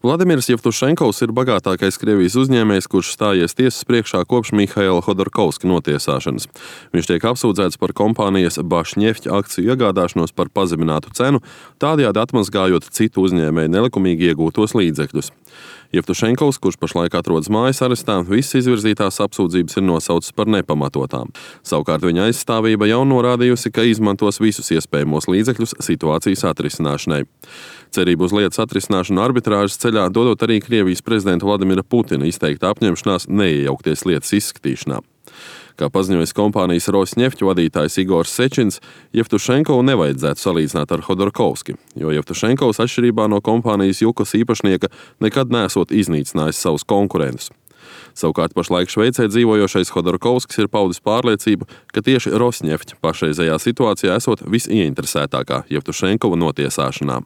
Vladimirs Jevtušenkovs ir bagātākais Krievijas uzņēmējs, kurš stājies tiesas priekšā kopš Mihaila Hodorkovska notiesāšanas. Viņš tiek apsūdzēts par kompānijas Bašņefķa akciju iegādāšanos par pazeminātu cenu, tādējādi atmazgājot citu uzņēmēju nelikumīgi iegūtos līdzekļus. Jevtušenkovs, kurš pašlaik atrodas mājas arestā, visas izvirzītās apsūdzības ir nosauctas par nepamatotām. Savukārt viņa aizstāvība jau norādījusi, ka izmantos visus iespējamos līdzekļus situācijas atrisināšanai. Cerību uz lietas atrisināšanu arbitrāžas ceļā dodot arī Krievijas prezidenta Vladimira Putina izteikta apņemšanās neiejaukties lietas izskatīšanā. Kā paziņojis kompānijas Rosneft vadītājs Igors Sečins, Jevtušenkovu nevajadzētu salīdzināt ar Hodorkovski, jo Jevtušenkovs atšķirībā no kompānijas Jukos īpašnieka nekad neesot iznīcinājis savus konkurentus. Savukārt pašlaik Šveicē dzīvojošais Hodorkovskis ir paudis pārliecību, ka tieši Rosneft pašreizējā situācijā esot visieinteresētākā Jevtušenkova notiesāšanā.